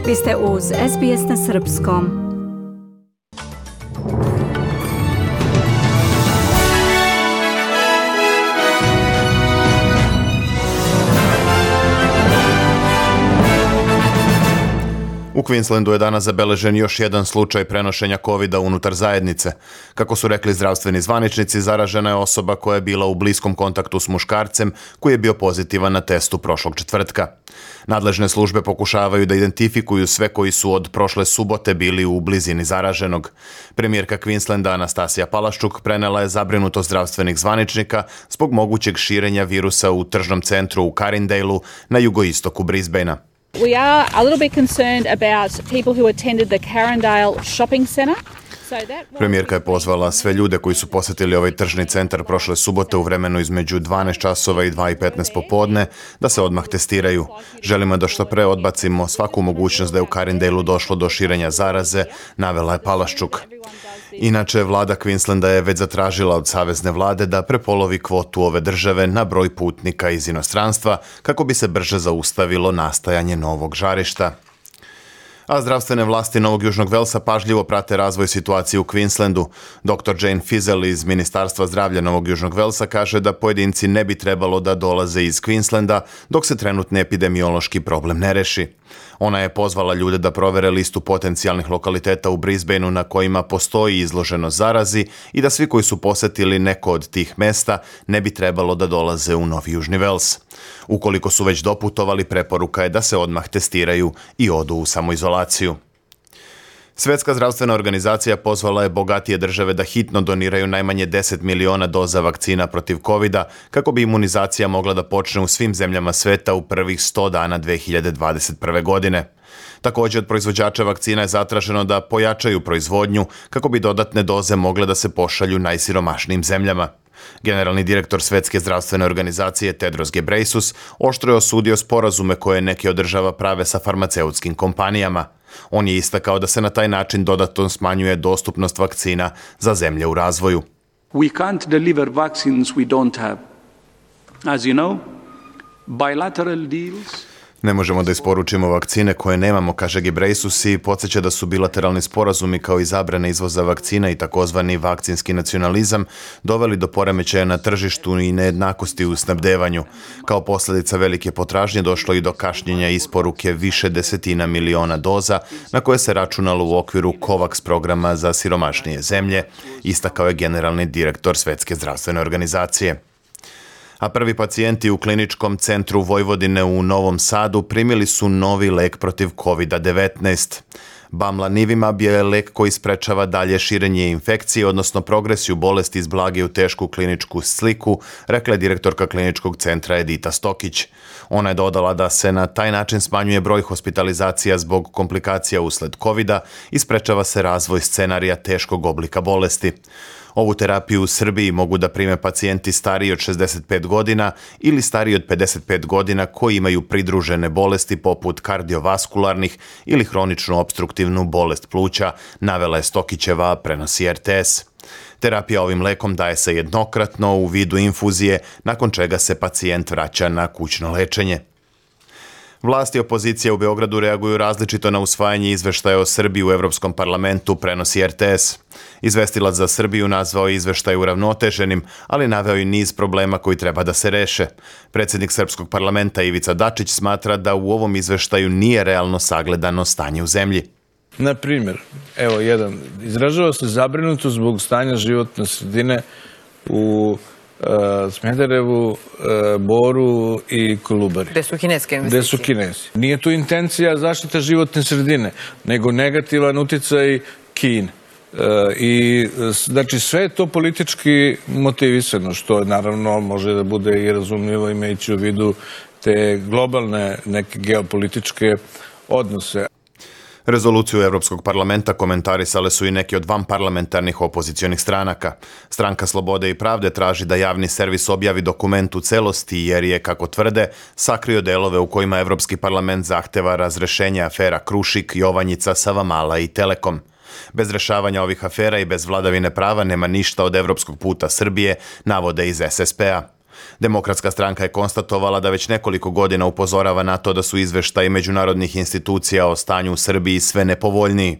Vi ste uz SBS na Srpskom. U Queenslandu je danas zabeležen još jedan slučaj prenošenja COVID-a unutar zajednice. Kako su rekli zdravstveni zvaničnici, zaražena je osoba koja je bila u bliskom kontaktu s muškarcem koji je bio pozitivan na testu prošlog četvrtka. Nadležne službe pokušavaju da identifikuju sve koji su od prošle subote bili u blizini zaraženog. Premijerka Queenslanda Anastasija Palaščuk prenela je zabrinutost zdravstvenih zvaničnika zbog mogućeg širenja virusa u tržnom centru u Carindaleu na jugoistoku Brisbanea. We are a little bit concerned about people who attended the Carindale shopping centre. Premijerka je pozvala sve ljude koji su posjetili ovaj tržni centar prošle subote u vremenu između 12 časova i 2:15 popodne da se odmah testiraju. Želimo da što pre odbacimo svaku mogućnost da je u Carindaleu došlo do širenja zaraze, navela je Palaščuk. Inače, vlada Queenslanda je već zatražila od savezne vlade da prepolovi kvotu ove države na broj putnika iz inostranstva kako bi se brže zaustavilo nastajanje novog žarišta. A zdravstvene vlasti Novog Južnog Velsa pažljivo prate razvoj situacije u Queenslandu. Dr. Jane Fizel iz Ministarstva zdravlja Novog Južnog Velsa kaže da pojedinci ne bi trebalo da dolaze iz Queenslanda dok se trenutni epidemiološki problem ne reši. Ona je pozvala ljude da provere listu potencijalnih lokaliteta u Brisbaneu na kojima postoji izloženost zarazi i da svi koji su posjetili neko od tih mesta ne bi trebalo da dolaze u Novi Južni Vels. Ukoliko su već doputovali, preporuka je da se odmah testiraju i odu u samoizolaciju. Svjetska zdravstvena organizacija pozvala je bogatije države da hitno doniraju najmanje 10 miliona doza vakcina protiv COVID-a kako bi imunizacija mogla da počne u svim zemljama sveta u prvih 100 dana 2021. godine. Također od proizvođača vakcina je zatraženo da pojačaju proizvodnju kako bi dodatne doze mogle da se pošalju najsiromašnijim zemljama. Generalni direktor Svjetske zdravstvene organizacije Tedros Ghebreyesus oštro je osudio sporazume koje neke od država prave sa farmaceutskim kompanijama. On je istakao da se na taj način dodatno smanjuje dostupnost vakcina za zemlje u razvoju. We can't deliver vaccines we don't have. As you know, bilateral deals. Ne možemo da isporučimo vakcine koje nemamo, kaže Ghebreyesus i podsjeća da su bilateralni sporazumi kao i zabrane izvoza vakcina i takozvani vakcinski nacionalizam doveli do poremećaja na tržištu i nejednakosti u snabdevanju. Kao posljedica velike potražnje došlo i do kašnjenja isporuke više desetina miliona doza na koje se računalo u okviru COVAX programa za siromašnije zemlje, istakao je generalni direktor Svjetske zdravstvene organizacije. A prvi pacijenti u kliničkom centru Vojvodine u Novom Sadu primili su novi lek protiv COVID-19. Bamlanivimab je lek koji sprečava dalje širenje infekcije, odnosno progresiju bolesti iz blage u tešku kliničku sliku, rekla je direktorka kliničkog centra Edita Stokić. Ona je dodala da se na taj način smanjuje broj hospitalizacija zbog komplikacija usled COVID-a i sprečava se razvoj scenarija teškog oblika bolesti. Ovu terapiju u Srbiji mogu da prime pacijenti stariji od 65 godina ili stariji od 55 godina koji imaju pridružene bolesti poput kardiovaskularnih ili hroničnu opstruktivnu bolest pluća, navela je Stokićeva, prenosi RTS. Terapija ovim lekom daje se jednokratno u vidu infuzije, nakon čega se pacijent vraća na kućno lečenje. Vlasti i opozicija u Beogradu reaguju različito na usvajanje izveštaja o Srbiji u Evropskom parlamentu, prenosi RTS. Izvestilac za Srbiju nazvao je izveštaj uravnoteženim, ali naveo i niz problema koji treba da se reše. Predsjednik Srpskog parlamenta Ivica Dačić smatra da u ovom izveštaju nije realno sagledano stanje u zemlji. Na primjer, evo jedan, izražava se zabrinutost zbog stanja životne sredine u Smederevu, Boru i Kolubari. Gde su kineske investicije? Gde su Kinesi. Nije tu intencija zaštita životne sredine, nego negativan uticaj Kine. I znači sve je to politički motivisano, što naravno može da bude i razumljivo imajući u vidu te globalne neke geopolitičke odnose. Rezoluciju Evropskog parlamenta komentarisale su i neki od vanparlamentarnih opozicionih stranaka. Stranka Slobode i pravde traži da javni servis objavi dokument u celosti jer je, kako tvrde, sakrio delove u kojima Evropski parlament zahteva razrešenje afera Krušik, Jovanjica, Savamala i Telekom. Bez rešavanja ovih afera i bez vladavine prava nema ništa od evropskog puta Srbije, navode iz SSP-a. Demokratska stranka je konstatovala da već nekoliko godina upozorava na to da su izveštaji međunarodnih institucija o stanju u Srbiji sve nepovoljniji.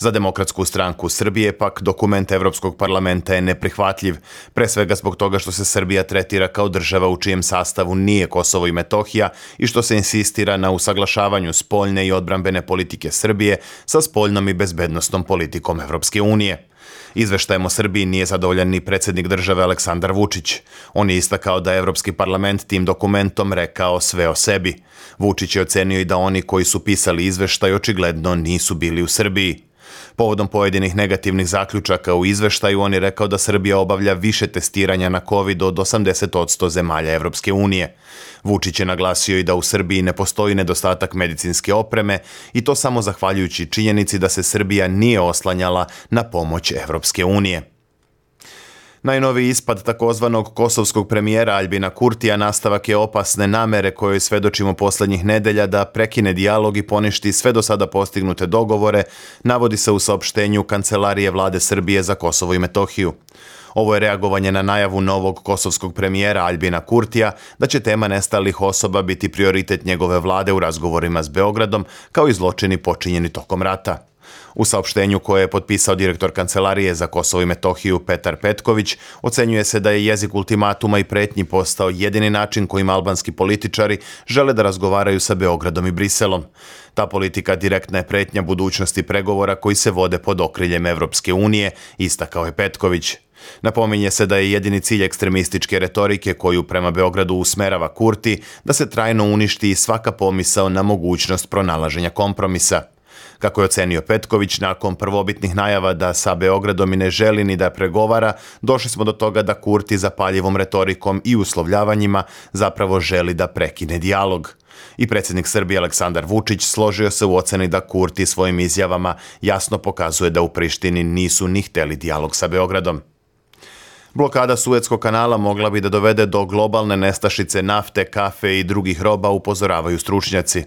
Za Demokratsku stranku Srbije pak dokument Evropskog parlamenta je neprihvatljiv, pre svega zbog toga što se Srbija tretira kao država u čijem sastavu nije Kosovo i Metohija i što se insistira na usaglašavanju spoljne i odbrambene politike Srbije sa spoljnom i bezbednosnom politikom Evropske unije. Izveštajem o Srbiji nije zadovoljan ni predsjednik države Aleksandar Vučić. On je istakao da je Evropski parlament tim dokumentom rekao sve o sebi. Vučić je ocenio i da oni koji su pisali izveštaj očigledno nisu bili u Srbiji. Povodom pojedinih negativnih zaključaka u izveštaju on je rekao da Srbija obavlja više testiranja na COVID od 80% zemalja Evropske unije. Vučić je naglasio i da u Srbiji ne postoji nedostatak medicinske opreme i to samo zahvaljujući činjenici da se Srbija nije oslanjala na pomoć Evropske unije. Najnoviji ispad takozvanog kosovskog premijera Aljbina Kurtija nastavak je opasne namere kojoj svedočimo posljednjih nedelja da prekine dijalog i poništi sve do sada postignute dogovore, navodi se u saopštenju Kancelarije vlade Srbije za Kosovo i Metohiju. Ovo je reagovanje na najavu novog kosovskog premijera Aljbina Kurtija da će tema nestalih osoba biti prioritet njegove vlade u razgovorima s Beogradom, kao i zločini počinjeni tokom rata. U saopštenju koje je potpisao direktor Kancelarije za Kosovo i Metohiju Petar Petković, ocenjuje se da je jezik ultimatuma i pretnji postao jedini način kojim albanski političari žele da razgovaraju sa Beogradom i Briselom. Ta politika direktna je pretnja budućnosti pregovora koji se vode pod okriljem Evropske unije, istakao je Petković. Napominje se da je jedini cilj ekstremističke retorike koju prema Beogradu usmerava Kurti da se trajno uništi svaka pomisao na mogućnost pronalaženja kompromisa. Kako je ocenio Petković, nakon prvobitnih najava da sa Beogradom i ne želi ni da pregovara, došli smo do toga da Kurti zapaljivom retorikom i uslovljavanjima zapravo želi da prekine dijalog. I predsjednik Srbije Aleksandar Vučić složio se u oceni da Kurti svojim izjavama jasno pokazuje da u Prištini nisu ni hteli dijalog sa Beogradom. Blokada Suetskog kanala mogla bi da dovede do globalne nestašice nafte, kafe i drugih roba, upozoravaju stručnjaci.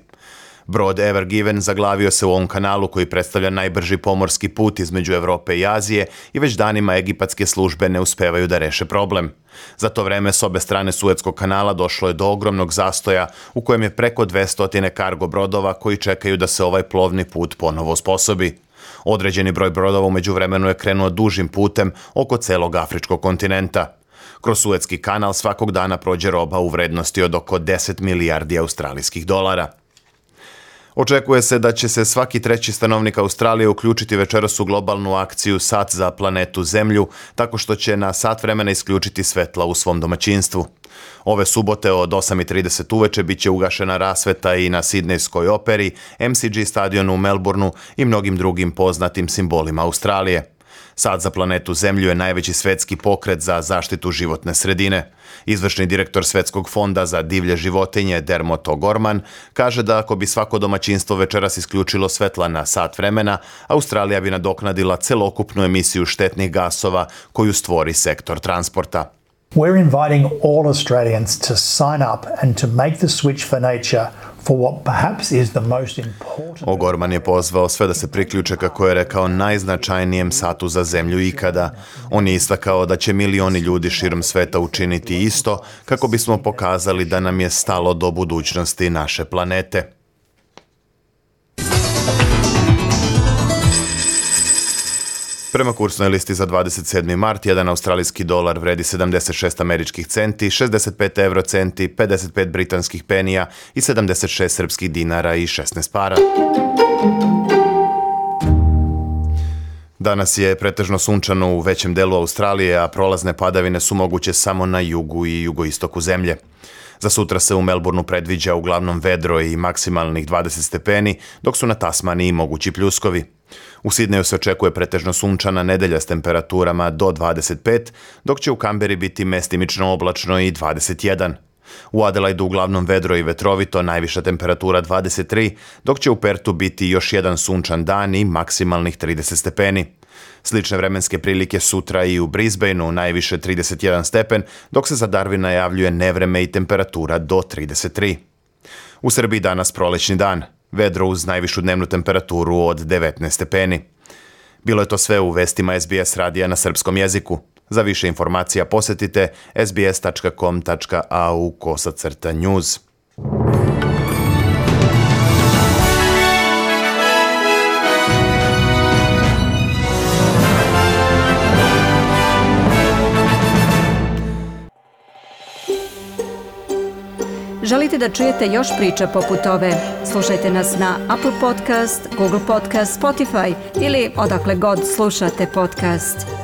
Brod Ever Given zaglavio se u ovom kanalu koji predstavlja najbrži pomorski put između Evrope i Azije i već danima egipatske službe ne uspevaju da reše problem. Za to vreme s obe strane Suetskog kanala došlo je do ogromnog zastoja u kojem je preko 200 kargo brodova koji čekaju da se ovaj plovni put ponovo osposobi. Određeni broj brodova u međuvremenu je krenuo dužim putem oko celog afričkog kontinenta. Kroz Suetski kanal svakog dana prođe roba u vrednosti od oko 10 milijardi australijskih dolara. Očekuje se da će se svaki treći stanovnik Australije uključiti večeras u globalnu akciju Sat za planetu Zemlju, tako što će na sat vremena isključiti svetla u svom domaćinstvu. Ove subote od 8:30 uveče bit će ugašena rasveta i na Sidnejskoj operi, MCG stadionu u Melbourneu i mnogim drugim poznatim simbolima Australije. Sat za planetu Zemlju je najveći svetski pokret za zaštitu životne sredine. Izvršni direktor Svetskog fonda za divlje životinje Dermot O'Gorman kaže da ako bi svako domaćinstvo večeras isključilo svetla na sat vremena, Australija bi nadoknadila celokupnu emisiju štetnih gasova koju stvori sektor transporta. We're inviting all Australians to sign up and to make the switch for nature for what perhaps is the most important. O'Gorman je pozvao sve da se priključe, kako je rekao, najznačajnijem satu za zemlju ikada. On je istakao da će milioni ljudi širom sveta učiniti isto kako bismo pokazali da nam je stalo do budućnosti naše planete. Prema kursnoj listi za 27. mart, jedan australijski dolar vredi 76 američkih centi, 65 eurocenti, 55 britanskih penija i 76 srpskih dinara i 16 para. Danas je pretežno sunčano u većem delu Australije, a prolazne padavine su moguće samo na jugu i jugoistoku zemlje. Za sutra se u Melbourneu predviđa uglavnom vedro i maksimalnih 20 stepeni, dok su na Tasmaniji mogući pljuskovi. U Sidneju se očekuje pretežno sunčana nedelja s temperaturama do 25, dok će u Kamberi biti mestimično oblačno i 21. U Adelaidu uglavnom vedro i vetrovito, najviša temperatura 23, dok će u Pertu biti još jedan sunčan dan i maksimalnih 30 stepeni. Slične vremenske prilike sutra i u Brisbaneu, najviše 31 stepen, dok se za Darwin najavljuje nevreme i temperatura do 33. U Srbiji danas prolećni dan, vedro uz najvišu dnevnu temperaturu od 19 stepeni. Bilo je to sve u vestima SBS radija na srpskom jeziku. Za više informacija posjetite sbs.com.au/news. Želite da čujete još priča poput ove? Slušajte nas na Apple Podcast, Google Podcast, Spotify ili odakle god slušate podcast.